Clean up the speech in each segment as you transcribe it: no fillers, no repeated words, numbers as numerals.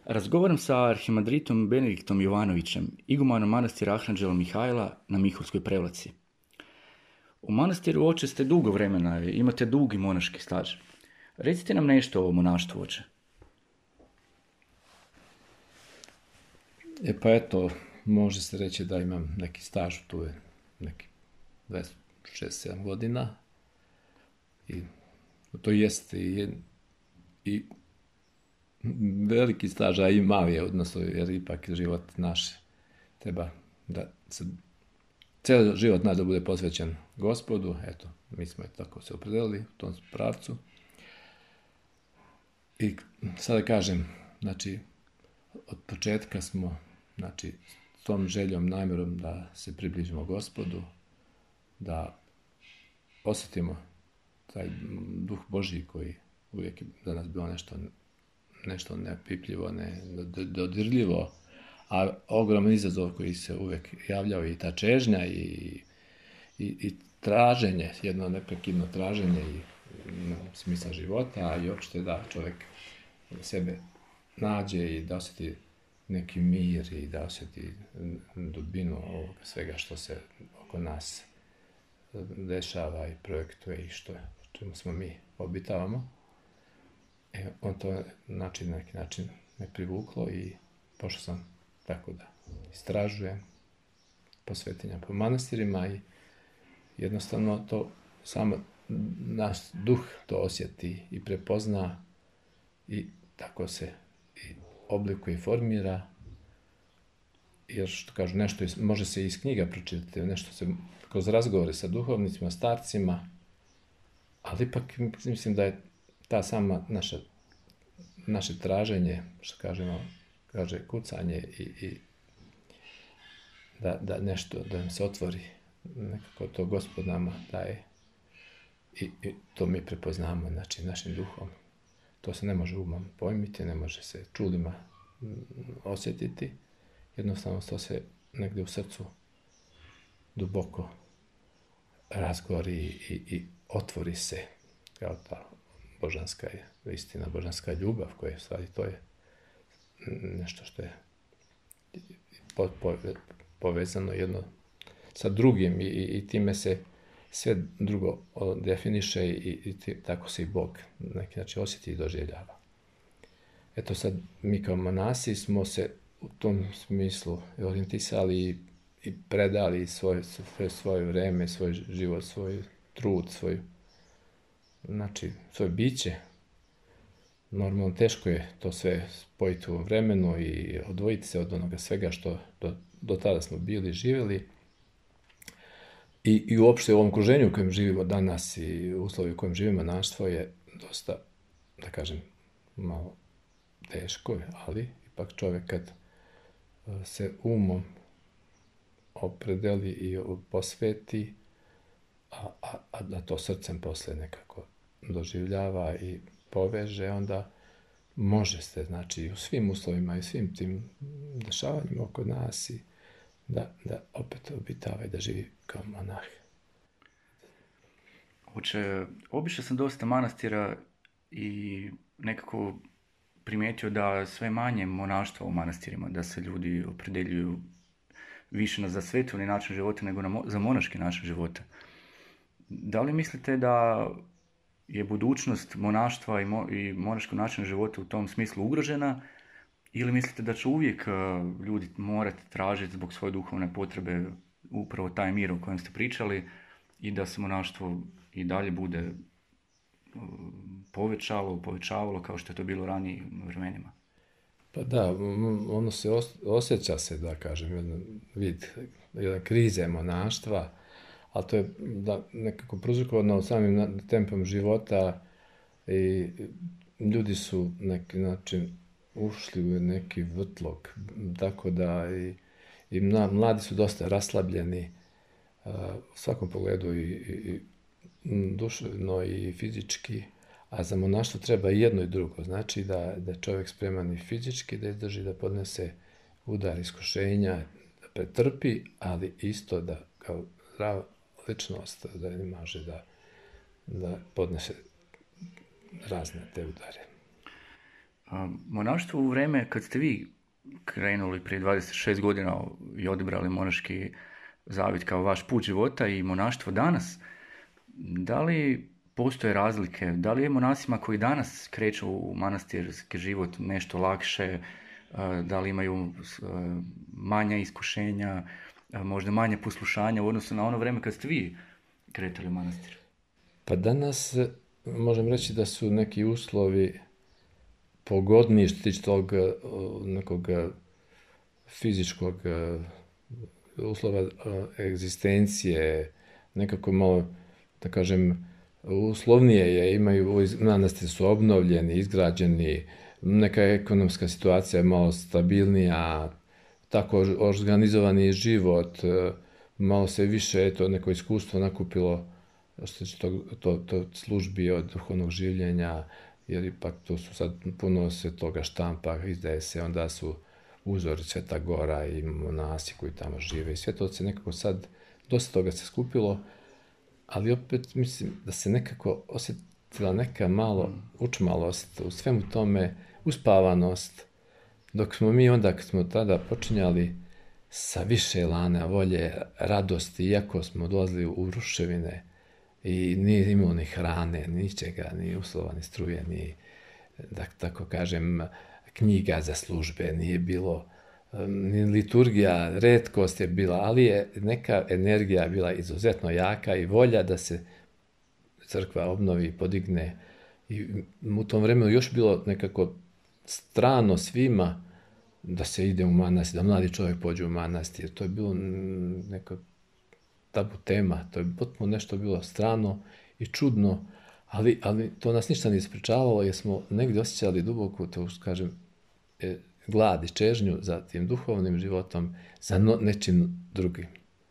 Razgovaram sa arhimandritom Benediktom Jovanovićem, igumanom manastira Arhanđela Mihajla na Mihurskoj Prevlaci. U manastiru, oče, ste dugo vremena, imate dugi monaški staž. Recite nam nešto o monaštvu, oče. Pa eto, može se reći da imam neki staž, tu je neki 26-7 godina. I to jeste i veliki staž, a i mali je, odnosno, jer ipak život naš treba da se, cijeli život naš da bude posvećen Gospodu. Eto, mi smo tako se opredelili u tom pravcu. I sada kažem, znači, od početka smo, znači, s tom željom, namjerom da se približimo Gospodu, da osjetimo taj duh Božji koji uvijek je za nas bilo nešto nepipljivo, nedodirljivo, a ogroman izazov koji se uvijek javljao, i ta čežnja i traženje, jedno neprekidno traženje i smisla života, i uopšte da čovjek sebe nađe i da osjeti neki mir i da osjeti dubinu ovoga svega što se oko nas dešava i projektuje i čemu smo mi obitavamo. On to na neki način me privuklo i pošao sam tako da istražujem posvetenja po manastirima i jednostavno to samo naš duh to osjeti i prepozna i tako se i oblikuje i formira, jer što kažu, nešto može se iz knjiga pročitati, nešto se kroz razgovore sa duhovnicima, starcima, ali ipak mislim da je ta sama naše traženje, što kaže kucanje i da nešto, da nam se otvori, nekako to Gospod nama daje i to mi prepoznamo, znači, našim duhom. To se ne može umom pojmiti, ne može se čulima osjetiti, jednostavno to se negdje u srcu duboko razgori i otvori se kao ta božanska istina, božanska ljubav, koja je stvari, to je nešto što je povezano jedno sa drugim i time se sve drugo definiše i tako se i Bog na neki način osjeti i doživljava. Eto sad, mi kao monasi smo se u tom smislu orijentisali i predali svoje vreme, svoj život, svoj trud, svoje biće. Normalno teško je to sve spojiti u vremenu i odvojiti se od onoga svega što do tada smo bili, živjeli. I uopšte u ovom okruženju u kojem živimo danas i uslovi u kojem živimo, monaštvo je dosta, da kažem, malo teško, ali ipak čovjek kad se umom opredeli i posveti, a da to srcem posle nekako doživljava i poveže, onda može se, znači, u svim uslovima i svim tim dešavanjima oko nas i da opet obitava i da živi kao monah. Oče, obišao sam dosta manastira i nekako primijetio da sve manje monaštva u manastirima, da se ljudi opredjeljuju više za svetovni način života nego za monaški način života. Da li mislite da je budućnost monaštva i monaškog načina života u tom smislu ugrožena, ili mislite da će uvijek ljudi morati tražiti zbog svoje duhovne potrebe upravo taj mir o kojem ste pričali i da se monaštvo i dalje bude povećavalo kao što je to bilo ranijim vremenima? Pa da, ono se osjeća se, da kažem, jedan krize monaštva, ali to je nekako prouzrokovano samim tempom života i ljudi su neki način ušli u neki vrtlog, tako da i mladi su dosta raslabljeni u svakom pogledu i duševno i fizički, a za monaštvo treba i jedno i drugo, znači da je čovjek spreman i fizički da izdrži, da podnese udar iskušenja, da pretrpi, ali isto da kao zdrava ličnost da ne može da podnese razne te udare. Monaštvo u vreme kad ste vi krenuli prije 26 godina i odabrali monaški zavjet kao vaš put života i monaštvo danas, da li postoje razlike? Da li je monasima koji danas kreću u manastirski život nešto lakše? Da li imaju manja iskušenja, možda manje poslušanja u odnosu na ono vrijeme kad ste vi kretali u manastir? Pa danas možem reći da su neki uslovi pogodniji što tiče tog nekog fizičkog uslova egzistencije, nekako malo, da kažem, uslovnije je, imaju, manastiri su obnovljeni, izgrađeni, neka ekonomska situacija je malo stabilnija, tako organizovani život, malo se više neko iskustvo nakupilo što se to službi od duhovnog življenja, jer ipak tu su sad puno se toga štampa, izdaje se, onda su uzori Sveta Gora i monasi koji tamo žive i sve to se nekako sad, dosta toga se skupilo, ali opet mislim da se nekako osjetila neka malo učmalost u svemu tome, uspavanost, dok smo mi onda, kad smo tada počinjali sa više elana, volje, radosti, iako smo dolazili u ruševine i nije imalo ni hrane, ničega, ni uslova, ni struje, ni, da tako kažem, knjiga za službe, nije bilo, ni liturgija, retkost je bila, ali je neka energija bila izuzetno jaka i volja da se crkva obnovi, podigne. I u tom vremenu još bilo nekako strano svima da se ide u manastir, da mladi čovjek pođe u manastir. To je bilo neka tabu tema, to je potpuno nešto bilo strano i čudno, ali to nas ništa nije sprečavalo jer smo negdje osjećali duboku, to kažem, glad i čežnju za tim duhovnim životom, za nečim drugim.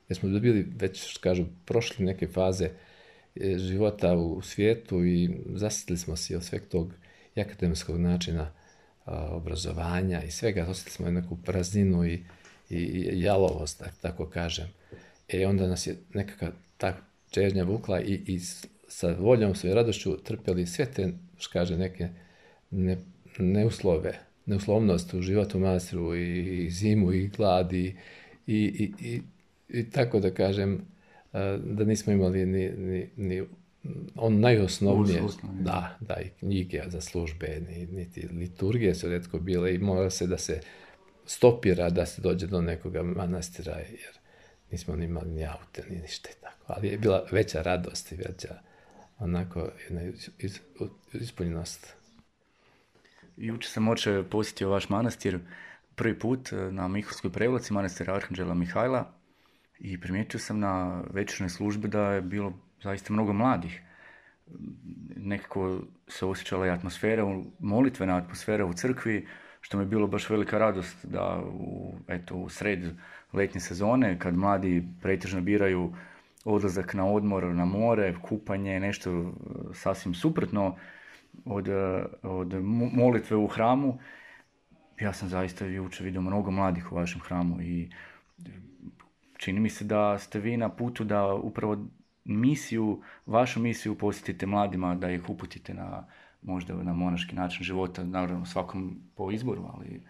Jer smo bili već, kažu, prošli neke faze života u svijetu i zasjetili smo se od sveg tog akademskog načina obrazovanja i svega, osjetili smo neku prazninu i jalovost, tako kažem. Onda nas je nekakva ta čežnja vukla i sa voljom, svojom radošću trpjeli sve te, kaže, neke neuslovnost u životu u manastiru i zimu i glad i tako da kažem, da nismo imali ni on najosnovnije, da, i knjige za službe, niti liturgije su retko bile i mora se da se stopira da se dođe do nekoga manastira, jer nismo ni imali ni aute, ni ništa i tako. Ali je bila veća radost i veća onako jedna ispunjenost. Jučer sam oče posjetio vaš manastir prvi put na Mihovskoj Prevlaci, manastir Arhanđela Mihajla, i primijetio sam na večernoj službi da je bilo zaista mnogo mladih. Nekako se osjećala i atmosfera, molitvena atmosfera u crkvi, što mi je bilo baš velika radost da u sred letnje sezone, kad mladi pretežno biraju odlazak na odmor, na more, kupanje, nešto sasvim suprotno od molitve u hramu. Ja sam zaista jučer vidio mnogo mladih u vašem hramu i čini mi se da ste vi na putu da upravo vašu misiju posjetite mladima, da ih uputite možda na monaški način života, naravno svakom po izboru, ali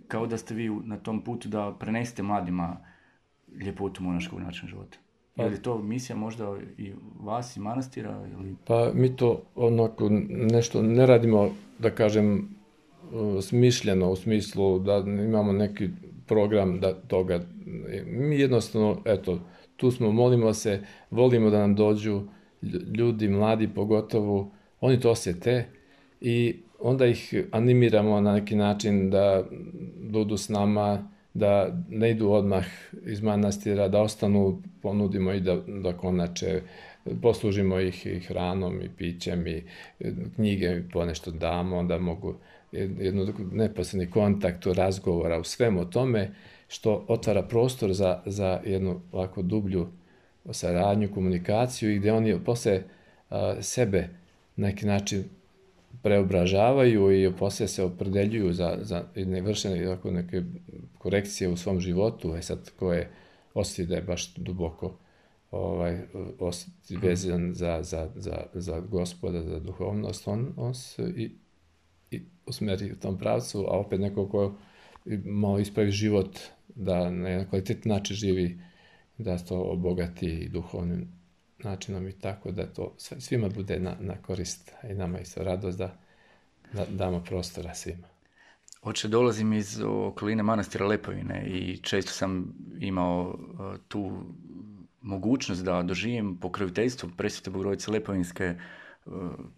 kao da ste vi na tom putu da prenesete mladima ljepotu monaškog načina života. Je li to misija možda i vas i manastira? Ili? Pa mi to onako nešto ne radimo, da kažem, smišljeno u smislu da imamo neki program da toga. Mi jednostavno, tu smo, molimo se, volimo da nam dođu ljudi, mladi pogotovo, oni to osjete i onda ih animiramo na neki način da budu s nama, da ne idu odmah iz manastira, da ostanu, ponudimo i da konače, poslužimo ih i hranom i pićem i knjige ponešto damo, da mogu jednu neposredni kontakt, razgovora u svemu tome, što otvara prostor za jednu ovako dublju saradnju, komunikaciju i gdje oni posle sebe na neki način preobražavaju i poslije se opredeljuju za nevršene neke korekcije u svom životu. Sad ko je osjeti da je baš duboko vezan za Gospoda, za duhovnost, on usmeri u tom pravcu, a opet neko ko malo ispravi život, da na jedan kvalitetni način živi, da to obogati i duhovnim načinom i tako, da to svima bude na korist, i nama isto radost da damo prostora svima. Oče, dolazim iz okoline manastira Lepovine i često sam imao tu mogućnost da doživim pokroviteljstvo Presvete Bogorodice Lepovinske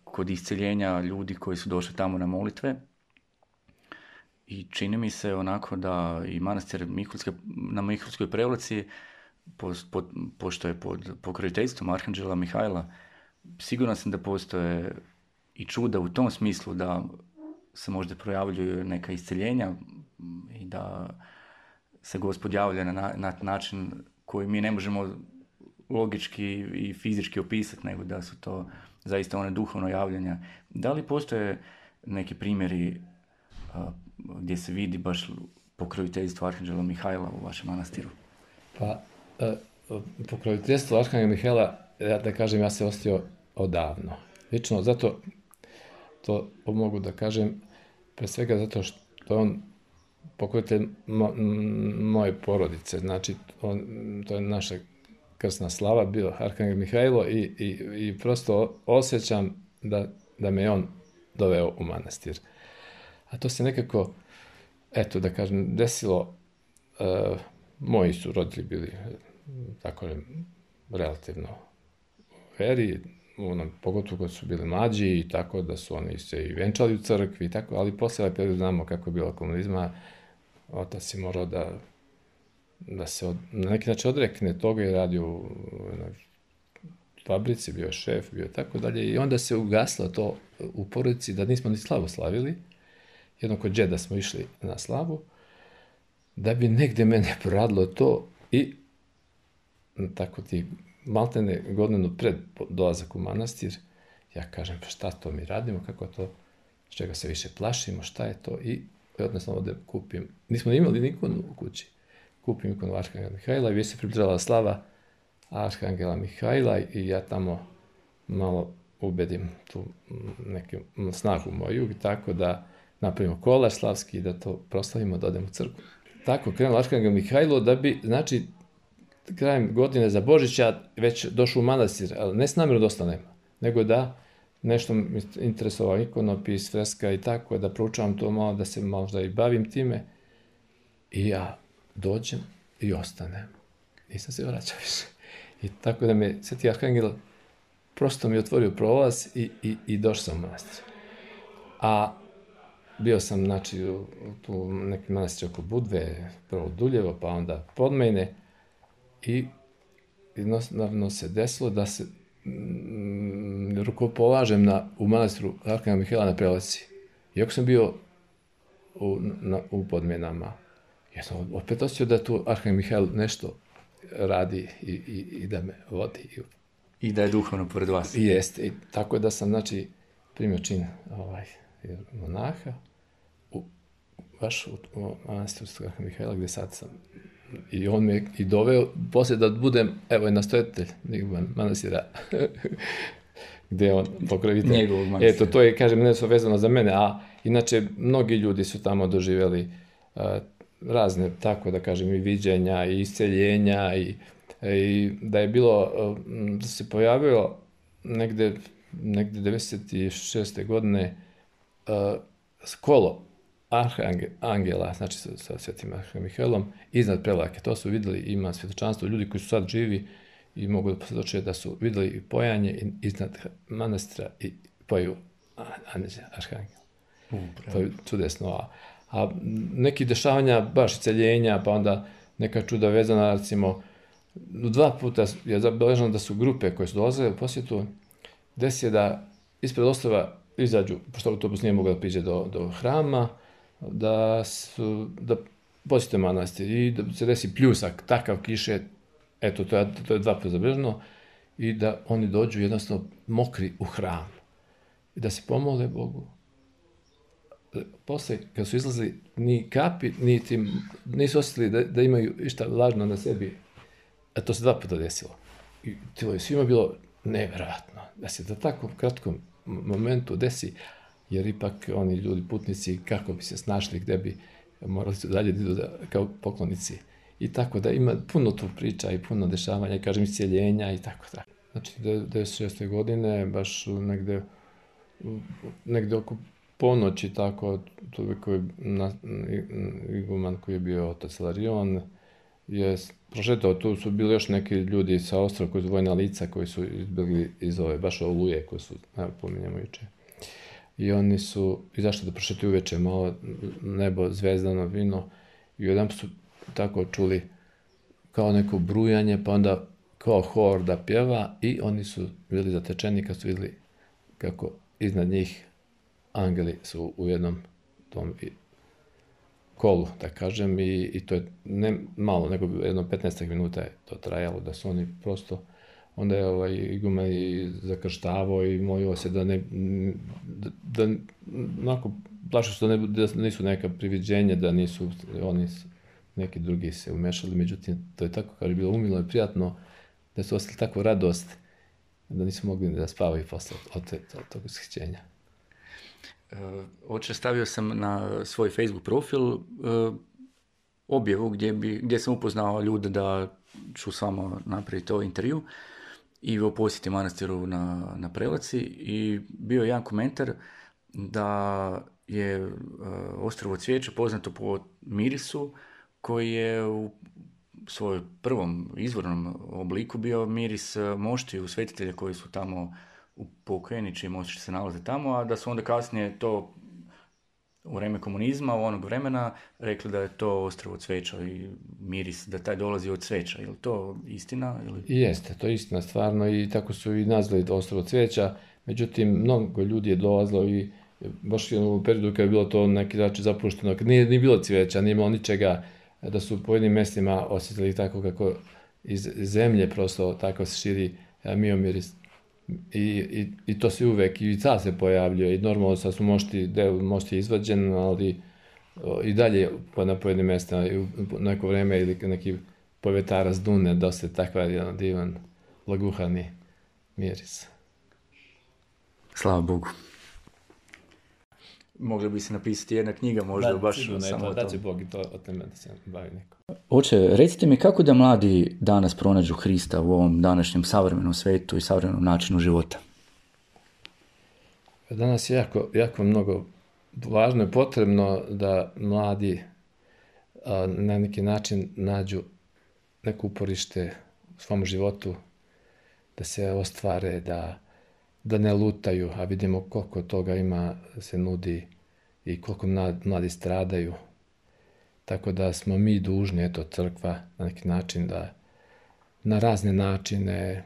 kod isceljenja ljudi koji su došli tamo na molitve. I čini mi se onako da i manastir na Mihulskoj Prevlaci, pošto je pod pokroviteljstvom Arhanđela Mihajla, siguran sam da postoje i čuda u tom smislu da se možda projavljuju neka isceljenja i da se Gospod javlja na način koji mi ne možemo logički i fizički opisati, nego da su to zaista one duhovno javljanja. Da li postoje neki primjeri gdje se vidi baš pokroviteljstvo Arhanđela Mihajla u vašem manastiru? Pa, pokroviteljstvo Arhanđela Mihajla, da kažem, ja se osjetio odavno. Lično, zato to mogu da kažem, pre svega zato što je on pokrovitelj moje porodice, znači to je naša krsna slava, bio Arhanđel Mihajlo i prosto osjećam da me on doveo u manastir. A to se nekako, eto da kažem, desilo, moji su roditelji bili tako relativno veri, pogotovo kad su bili mlađi i tako da su oni se i venčali u crkvi i tako, ali posle ovaj period znamo kako je bilo komunizma, otac je morao da se na neki način odrekne toga i radio u fabrici, bio je šef, bio je tako dalje i onda se ugaslo to u porodici da nismo ni slavu slavili. Jednom kod džeda smo išli na slavu, da bi negde mene proradilo to i tako ti maltene godinu pred dolazak u manastir, ja kažem, pa šta to mi radimo, kako to, s čega se više plašimo, šta je to, i odnosno ovde kupim, nismo imali nikonu u kući, kupim ikonu Arhanđela Mihajla i već se približala slava Arhanđela Mihajla i ja tamo malo ubedim tu neku snagu moju i tako da napravimo kolaž slavski i da to proslavimo, da odemo u crkvu. Tako krenuo Arhanđel Mihajlo da bi, znači, krajem godine za Božića već došao u manastir, ali ne s namjerom da ostanem, nego da nešto mi interesovao ikonopis, freska i tako, da proučavam to malo, da se možda i bavim time. I ja dođem i ostanem. Nisam se vraćao više. I tako da me Sveti Arhanđel prosto mi otvorio prolaz i došao sam u manastir. A bio sam, znači, u nekim manastir oko Budve, prvo Duljevo, pa onda Podmejne, i jednostavno se desilo da se rukopolažem u manastiru Arhanđela Mihajla na Prevlaci. Iako sam bio u Podmejnama, ja sam opet osjećao da tu Arhanđel Mihajl nešto radi i da me vodi. I da je duhovno pored vas. Jeste, i tako da sam, znači, primio čin monaha, baš u manastiru Arhanđela Mihajla, gde sad sam. I on me i doveo, poslije da budem, evo je nastojatelj manastira, gde je on pokrovitelj. Njegovog manastira. Eto, to je, kažem, nešto vezano za mene, a inače, mnogi ljudi su tamo doživjeli razne, tako da kažem, i viđenja, i isceljenja, i da je bilo, da se pojavilo negde 96. godine kolo Arhangela, znači sa Svetim Arhanđelom Mihajlom, iznad Prevlake. To su videli, ima svjedočanstvo ljudi koji su sad živi i mogu da posvjedoče da su videli pojanje iznad manastira i poju Arhanđela. To je čudesno. A neki dešavanja, baš celjenja, pa onda neka čuda vezana, recimo, 2 puta je zabeleženo da su grupe koje su dolazile u posjetu, desi je da ispred ostrva izađu, pošto autobus nije mogao da priđe do hrama, da posjete manastir i da se desi pljusak, takav kiše, eto, to je 2 puta zabeleženo, i da oni dođu jednostavno mokri u hram i da se pomole Bogu. Posle, kad su izlazili, ni kapi, nisu osjetili da imaju išta lažno na sebi, a to se 2 puta desilo. I to je svima bilo neverovatno, da se da tako kratkom momentu desi. jer ipak oni ljudi putnici kako bi se snašli, gde bi morali su dalje da idu kao poklonici. I tako da ima puno tu priča i puno dešavanja, i kažem, iscijeljenja i tako da. Znači, 96. godine, baš negde oko ponoći, tako, toliko je iguman koji je bio otac Ilarion, je prošetao, tu su bili još neki ljudi sa ostrava koji su vojna lica koji su izbjegli iz ove, baš Oluje, koje su, pominjamo juče. I oni su izašli da prošetaju uveče, malo nebo zvezdano vino, i jedan su tako čuli kao neko brujanje, pa onda kao hor da pjeva, i oni su bili zatečeni kad su vidjeli kako iznad njih angeli su u jednom tom kolu, da kažem, i to je ne malo, nego jedno 15 minuta je to trajalo, da su oni prosto, onda je iguman i zakrštavao i molio se da onako, plašio se da nisu neka priviđenja, da nisu oni neki drugi se umešali, međutim, to je tako, kao je bilo umilo i prijatno, da su ostali takvu radost, da nisu mogli da spavaju posle od tog ishićenja. Oče, stavio sam na svoj Facebook profil objavu gdje sam upoznao ljude da ću samo napraviti ovaj intervju i o posjeti manastiru na Prelaci, i bio je jedan komentar da je Ostrovo Cvijeće poznato po mirisu koji je u svojom prvom izvornom obliku bio miris moštiju svetitelja koji su tamo upokojeni, čiji mošti se nalaze tamo, a da su onda kasnije to u vreme komunizma, u onog vremena, rekli da je to Ostrovo cveća i miris, da taj dolazi od cveća. Je li to istina? Ili? Jeste, to je istina stvarno, i tako su i nazvali Ostrovo cveća. Međutim, mnogo ljudi je dolazilo i baš u periodu kada je bilo to neki način zapušteno, kad nije bilo cveća, nije imalo ničega, da su u pojedinim mjestima osjetili tako kako iz zemlje prosto tako se širi miomiris. I to se uvek, i sad se pojavljuje, i normalno sad su mošti izvađen, ali i dalje na pojedinim mjestima, i u neko vreme ili neki povetara s Dune, dosta je takva jedan divan, laguhani miris. Slava Bogu. Mogli bi se napisati jedna knjiga, možda baš samo o tom. Da će Bog i to o teme da se bavi neko. Oče, recite mi kako da mladi danas pronađu Hrista u ovom današnjem savremenom svetu i savremenom načinu života? Danas je jako mnogo važno i potrebno da mladi na neki način nađu neko uporište u svom životu, da se ostvare, da ne lutaju, a vidimo koliko toga ima, se nudi i koliko mladi stradaju. Tako da smo mi dužni, crkva, na neki način da na razne načine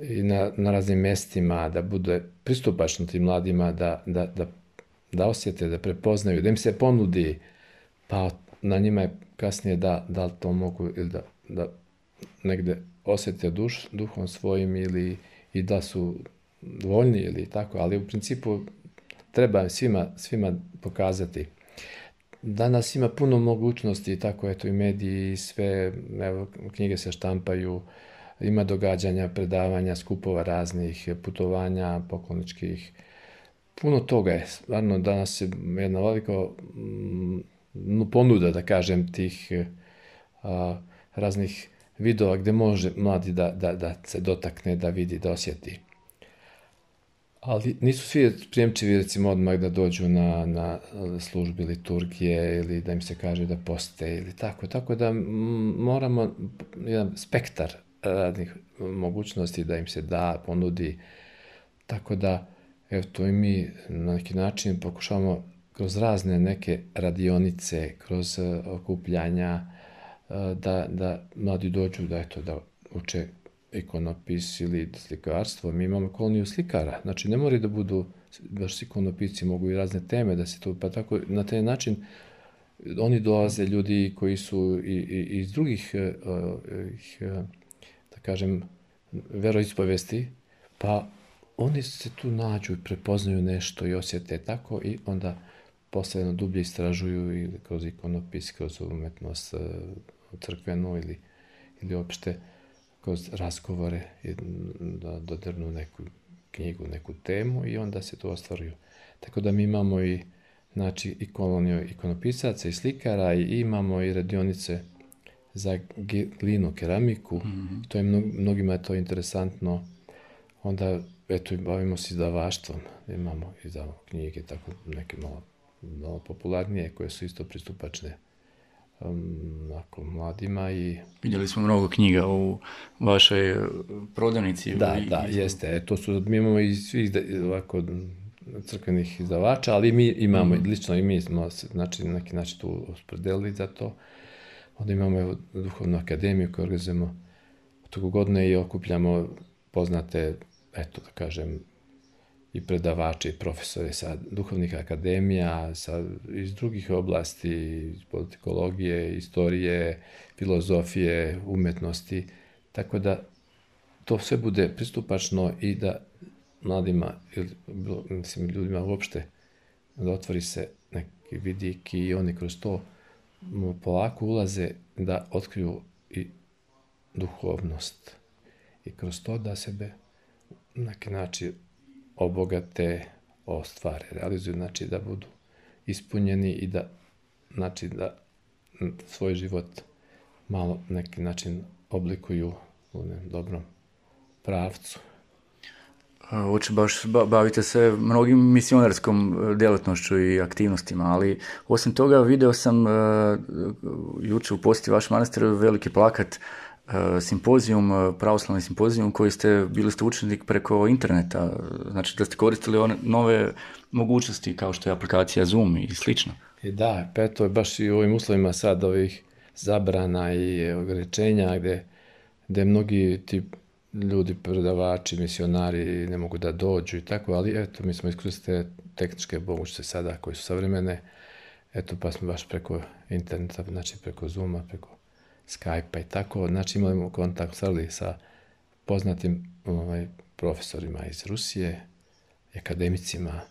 i na raznim mjestima da bude pristupačno tim mladima, da osjete, da prepoznaju, da im se ponudi, pa na njima je kasnije da li to mogu ili da negde osjete duhom svojim i da su voljni ili tako, ali u principu treba svima pokazati. Danas ima puno mogućnosti, tako i mediji i sve, evo, knjige se štampaju, ima događanja, predavanja, skupova raznih, putovanja pokloničkih. Puno toga je, stvarno danas je jedna velika ponuda, da kažem, tih raznih vidova gdje može mladi da se dotakne, da vidi, da osjeti. Ali nisu svi prijemčivi, recimo, odmah da dođu na službi liturgije ili da im se kaže da poste ili tako. Tako da moramo jedan spektar raznih mogućnosti da im se da, ponudi. Tako da, evo, to i mi na neki način pokušavamo kroz razne neke radionice, kroz okupljanja, da mladi dođu da uče ikonopis ili slikarstvo. Mi imamo koloniju slikara, znači ne moraju da budu baš ikonopisci, mogu i razne teme da se to, pa tako na taj način oni dolaze, ljudi koji su i iz drugih, da kažem, veroispovesti, pa oni se tu nađu i prepoznaju nešto i osjete tako, i onda posle dublje istražuju ili kroz ikonopis, kroz umetnost crkvenu ili opšte kroz razgovore da dodirnu neku knjigu, neku temu, i onda se to ostvaruju. Tako da mi imamo i, znači, i koloniju ikonopisaca i slikara i imamo i radionice za glinu, keramiku. To je mnogima je to interesantno. Onda, eto, bavimo se izdavaštvom. Imamo izdavamo knjige, tako neke malo popularnije, koje su isto pristupačne mladima. I Vidjeli smo mnogo knjiga u vašoj prodavnici. Da, jeste. Mi imamo i svih ovako crkvenih izdavača, ali mi imamo, lično i mi smo, znači, na neki način tu opredelili za to. Onda imamo duhovnu akademiju koju organizujemo toku godine i okupljamo poznate, eto da kažem, i predavače i profesore sa duhovnih akademija, iz drugih oblasti, iz politikologije, istorije, filozofije, umetnosti, tako da to sve bude pristupačno i da mladima, mislim, ljudima uopšte, da otvori se neki vidik i oni kroz to polako ulaze da otkriju i duhovnost i kroz to da sebe na neki način obogate, ostvare, realizuju, znači da budu ispunjeni i da, znači, da svoj život malo na neki način oblikuju u dobrom pravcu. Bavite se mnogim misionarskom djelatnošću i aktivnostima, ali osim toga vidio sam jučer u posjeti vaš manastir veliki plakat, simpozijum, pravoslavni simpozijum koji bili ste učenik preko interneta, znači da ste koristili one nove mogućnosti kao što je aplikacija Zoom i slično. I da, to je baš i u ovim uslovima sad ovih zabrana i ograničenja gdje mnogi ti ljudi, predavači, misionari ne mogu da dođu i tako, ali eto, mi smo iskoristili tehničke mogućnosti sada koje su savremene, eto, pa smo baš preko interneta, znači preko Zooma, preko Skype-a i tako, znači imamo kontakt sa poznatim profesorima iz Rusije, akademicima,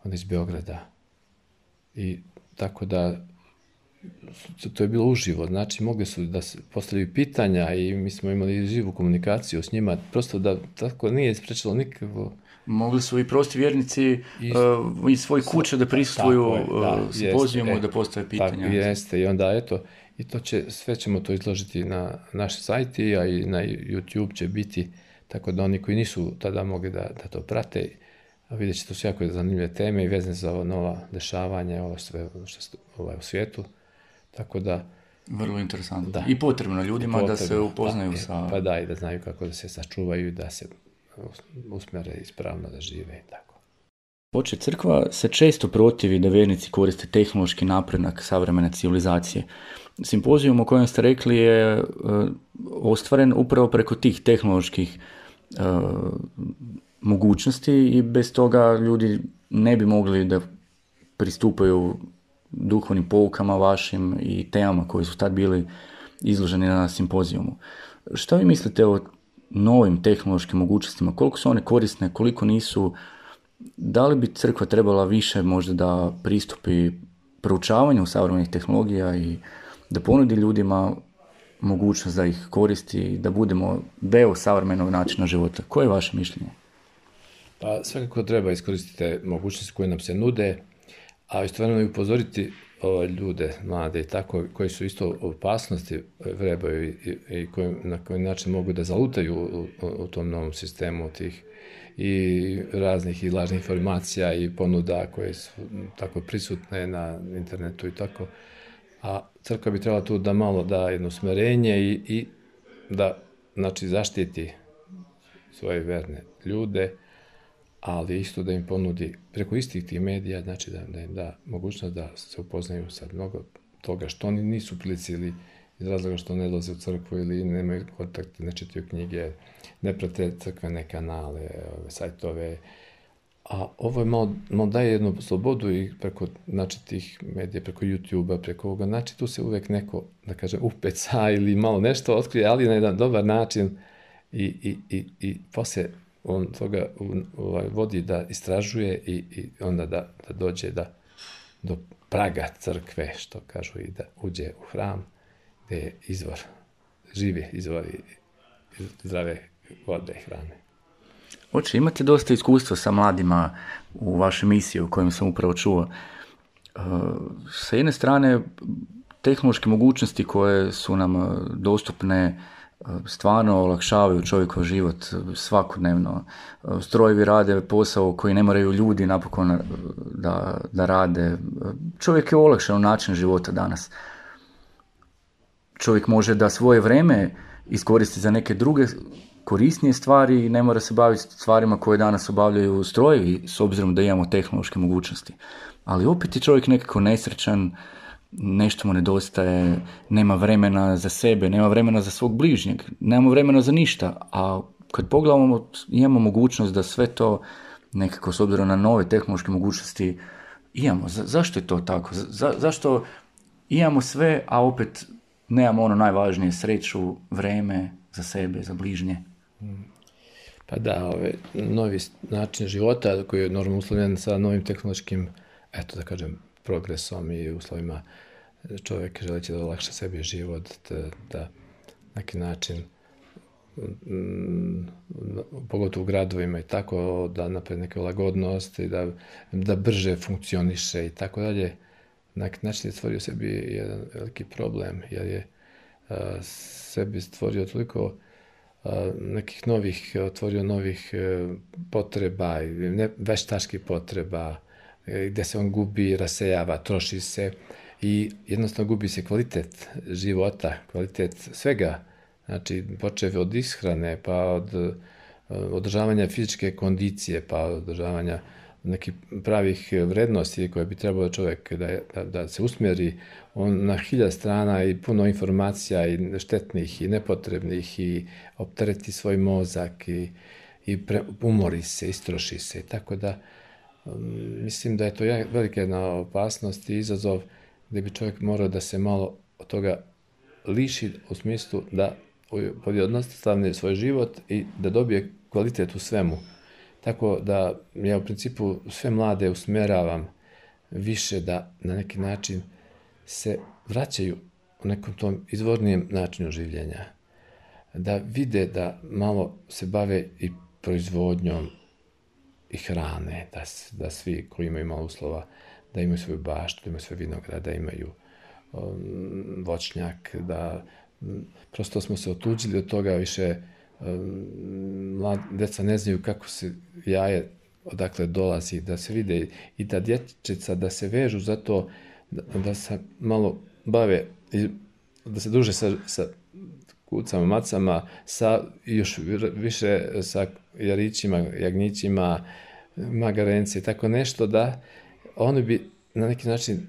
onda iz Beograda. I tako da to je bilo uživo, znači mogli su da se postavljaju pitanja i mi smo imali živu komunikaciju s njima, prosto da tako nije isprečilo nikakvo. Mogli su i prosti vjernici iz svoje kuće da prisustvuju simpozijumu, da postave pitanja. Tako jeste, i onda eto, i sve ćemo to izložiti na naš sajt, a i na YouTube će biti, tako da oni koji nisu tada mogli da to prate, vidjet će to su jako zanimljive teme i vezane za ovo nova dešavanja, ovo sve što u svijetu, tako da. Vrlo interesantno. Da. I potrebno ljudima da se upoznaju sa. Pa da, i da znaju kako da se sačuvaju i da se usmjere ispravno da žive i tako. Crkva se često protivi da vjernici koriste tehnološki napredak savremene civilizacije. Simpozijum o kojem ste rekli je ostvaren upravo preko tih tehnoloških mogućnosti i bez toga ljudi ne bi mogli da pristupaju duhovnim poukama vašim i temama koji su tad bili izloženi na simpozijumu. Što vi mislite o novim tehnološkim mogućnostima? Koliko su one korisne, koliko nisu? Da li bi crkva trebala više možda da pristupi proučavanju savremenih tehnologija i da ponudi ljudima mogućnost da ih koristi, da budemo deo savremenog načina života? Koje je vaše mišljenje? Pa svakako treba iskoristiti te mogućnosti koje nam se nude, a istovremeno i upozoriti ljude, mlade i tako, koji su isto opasnosti vrebaju i na koji način mogu da zalutaju u tom novom sistemu tih i raznih i lažnih informacija i ponuda koje su tako prisutne na internetu i tako. A crkva bi trebala tu da malo da jedno usmerenje i da, znači, zaštiti svoje verne ljude, ali isto da im ponudi preko istih tih medija, znači da im da mogućnost da se upoznaju sa mnogo toga što oni nisu prilici ili iz razloga što ne dolaze u crkvu ili nemaju kontakte, ne čitaju knjige, ne prate crkvene kanale, sajtove. A ovo je malo daje jednu slobodu i preko, znači, tih medija, preko YouTube-a, preko ovoga, znači tu se uvek neko, da kažem, upeca ili malo nešto otkrije, ali na jedan dobar način i poslije on toga vodi da istražuje i onda da dođe do praga crkve, što kažu, i da uđe u hram gdje je izvor, živi izvor i zdrave vode i hrane. Oče, imate dosta iskustva sa mladima u vašoj misiji o kojem sam upravo čuo. Sa jedne strane, tehnološke mogućnosti koje su nam dostupne stvarno olakšavaju čovjekov život svakodnevno. Strojevi rade posao koji ne moraju ljudi napokon da rade. Čovjek je olakšan način života danas. Čovjek može da svoje vrijeme iskoristi za neke druge korisnije stvari i ne mora se baviti stvarima koje danas obavljaju strojevi s obzirom da imamo tehnološke mogućnosti. Ali opet je čovjek nekako nesrećan, nešto mu nedostaje, nema vremena za sebe, nema vremena za svog bližnjeg, nema vremena za ništa. A kad pogledamo, imamo mogućnost da sve to nekako s obzirom na nove tehnološke mogućnosti imamo. Zašto je to tako? Zašto imamo sve, a opet nemamo ono najvažnije, sreću, vreme za sebe, za bližnje? Pa da, novi način života koji je normalno uslovljen sa novim tehnološkim, eto da kažem, progresom i uslovima, čovjek želeći da olakša sebi život, da na neki način, pogotovo u gradovima i tako, da napravi neke lagodnosti, da brže funkcioniše i tako dalje. Na neki način je stvorio sebi jedan veliki problem, jer je sebi stvorio toliko nekih novih potreba, veštačkih potreba, gdje se on gubi, rasejava, troši se i jednostavno gubi se kvalitet života, kvalitet svega, znači počev od ishrane, pa od održavanja fizičke kondicije, pa od održavanja nekih pravih vrednosti koje bi trebalo čovjek da se usmjeri na 1000 strana i puno informacija i štetnih i nepotrebnih i optereti svoj mozak i umori se, istroši se. Tako da mislim da je to velika jedna opasnost i izazov gdje bi čovjek morao da se malo od toga liši u smislu da pojednostavni svoj život i da dobije kvalitet u svemu. Tako da ja u principu sve mlade usmjeravam više da na neki način se vraćaju u nekom tom izvornijem načinu življenja. Da vide da malo se bave i proizvodnjom i hrane, da svi koji imaju malo uslova, da imaju svoju baštu, da imaju svoj vinograd, da imaju voćnjak, da prosto smo se otuđili od toga više. Djeca ne znaju kako se jaje, odakle dolazi, da se vide i da dječeca da se vežu za to, da se malo bave, da se druže sa kucama, macama, još više sa jarićima, jagnjićima, magarence i tako nešto, da oni bi na neki način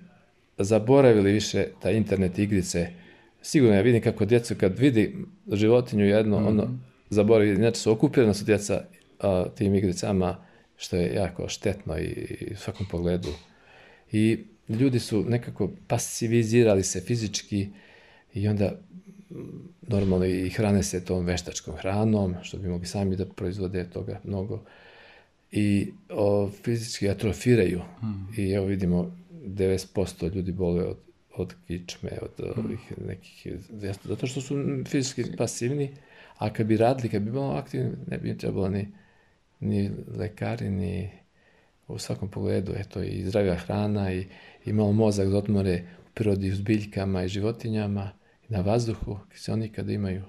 zaboravili više ta internet igrice. Sigurno ja vidim kako djecu kad vidi životinju jedno, ono zaboravi, inače su okupirana su djeca tim igricama, što je jako štetno i u svakom pogledu. I ljudi su nekako pasivizirali se fizički i onda normalno i hrane se tom veštačkom hranom, što bi mogli sami da proizvode toga mnogo. I fizički atrofiraju. I evo vidimo 90% ljudi boluje od kičme, od ovih nekih, zato što su fizički pasivni, a kad bi radili, kad bi bilo aktivni, ne bi im trebalo ni lekari, ni u svakom pogledu, eto i zdravija hrana i malo mozak da odmore u prirodi, u zbiljkama i životinjama, i na vazduhu, se oni kad imaju,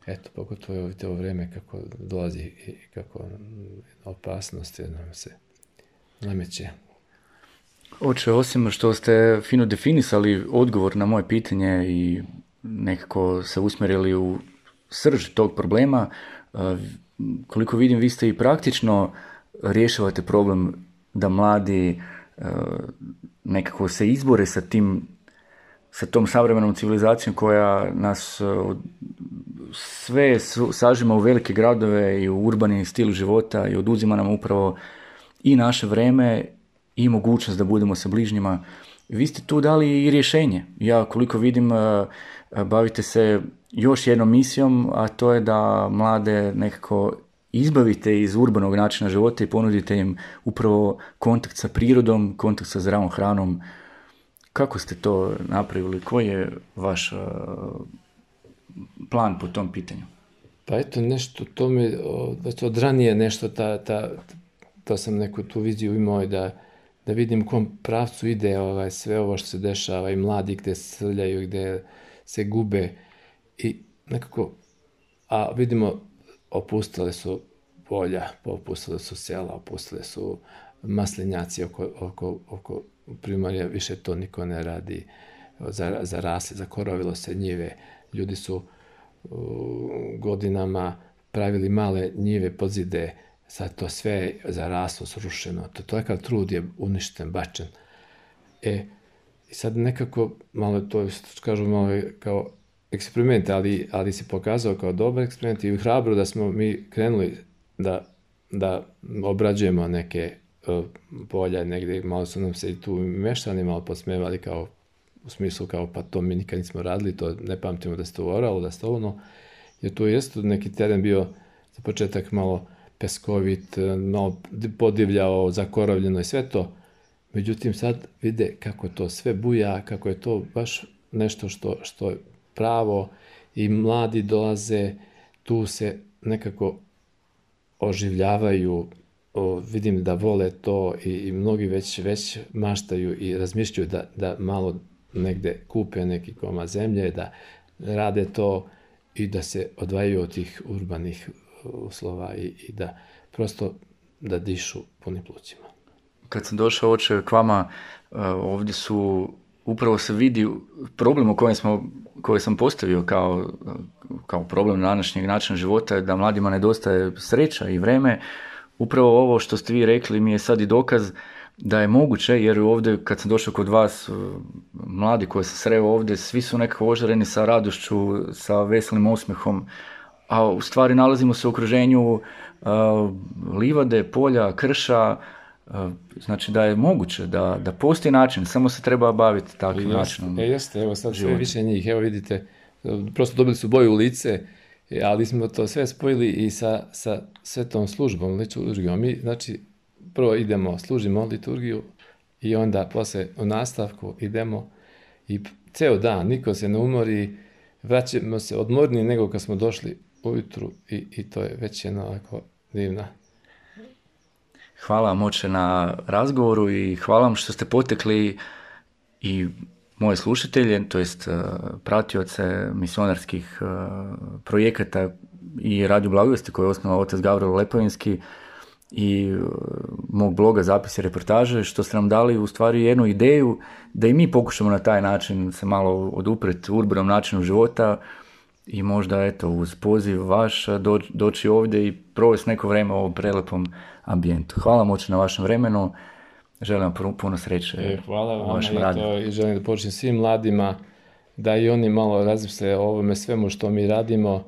eto, pogotovo je ovo vrijeme kako dolazi i kako opasnosti nam se nameće. Oče, osim što ste fino definisali odgovor na moje pitanje i nekako se usmjerili u srž tog problema, koliko vidim, vi ste i praktično rješavate problem da mladi nekako se izbore sa tom savremenom civilizacijom koja nas sve sažima u velike gradove i u urbani stil života i oduzima nam upravo i naše vreme i mogućnost da budemo sa bližnjima. Vi ste tu dali i rješenje. Ja koliko vidim bavite se još jednom misijom, a to je da mlade nekako izbavite iz urbanog načina života i ponudite im upravo kontakt sa prirodom, kontakt sa zdravom hranom. Kako ste to napravili? Koji je vaš plan po tom pitanju? Pa eto nešto, to mi već od ranije nešto, to sam neku tu viziju imao da vidim u kom pravcu ide sve ovo što se dešava i mladi gde se srljaju, gde se gube i nekako, a vidimo opustile su polja, opustile su sela, opustile su maslinjaci oko primorja, više to niko ne radi, zarasli, zakorovilo se njive, ljudi su godinama pravili male njive podzide, sad to sve zaraslo, srušeno, takav trud je uništen, bačen. I sad nekako, malo to kažu malo kao eksperiment, ali se pokazao kao dobar eksperiment i hrabro da smo mi krenuli da obrađujemo neke polja negdje, malo su nam se i tu meštani malo podsmevali kao u smislu kao pa to mi nikad nismo radili, to ne pamtimo da se to oralo, da se to ono, jer tu jeste neki teren bio za početak malo peskovit, malo podivljao, zakorovljeno i sve to. Međutim, sad vide kako to sve buja, kako je to baš nešto što je pravo i mladi dolaze, tu se nekako oživljavaju, vidim da vole to i mnogi već maštaju i razmišljaju da malo negde kupe neki komad zemlje, da rade to i da se odvajaju od tih urbanih uslova i da prosto da dišu punim plućima. Kad sam došao oče k vama, ovdje upravo se vidi problem u koji sam postavio kao problem današnjeg načina života, da mladima nedostaje sreća i vreme. Upravo ovo što ste vi rekli mi je sad i dokaz da je moguće, jer ovdje kad sam došao kod vas, mladi koji se sreo ovdje, svi su nekako ožareni sa radošću, sa veselim osmehom, a u stvari nalazimo se u okruženju livade, polja, krša, znači da je moguće, da postoji način, samo se treba baviti takvim načinom. Jeste, evo sad sve više njih, evo vidite, prosto dobili su boju u lice, ali smo to sve spojili i sa svetom službom, liturgijom. Mi, znači, prvo idemo, služimo liturgiju i onda posle u nastavku idemo i ceo dan, niko se ne umori, vraćamo se odmorniji nego kad smo došli ujutru i to je već jedna ovako divna. Hvala vam oče na razgovoru i hvala vam što ste potekli i moje slušatelje, to jest pratioce misionarskih projekata i Radio Blagovesti koje je osnovao otac Gavrilo Lepovinski i mog bloga Zapisi reportaže, što ste nam dali u stvari jednu ideju da i mi pokušamo na taj način se malo odupreti urbanom načinu života i možda eto uz poziv vaš doći ovdje i provesti neko vrijeme u ovom prelepom ambijentu. Hvala vam oče na vašem vremenu, želim vam puno sreće u vašem radu. Hvala vam i želim da počnem svim mladima da i oni malo razmisle o ovome svemu što mi radimo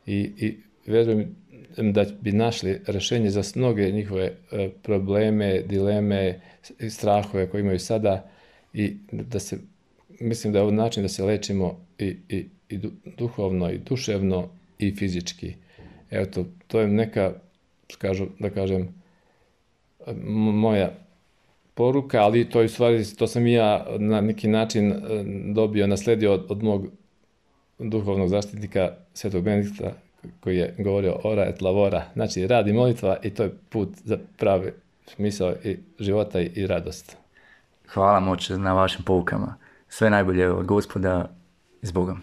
i verujem da bi našli rješenje za mnoge njihove probleme, dileme i strahove koje imaju sada i da se, mislim da je ovo način da se lečimo i duhovno i duševno i fizički. Evo to je neka, da kažem, moja poruka, ali to je u stvari, to sam i ja na neki način nasledio od mog duhovnog zaštitnika Svetog Benedikta koji je govorio ora et lavora, znači rad i molitva i to je put za pravi smisao i života i radost. Hvala vam oče na vašim poukama. Sve najbolje od Gospoda, s Bogom.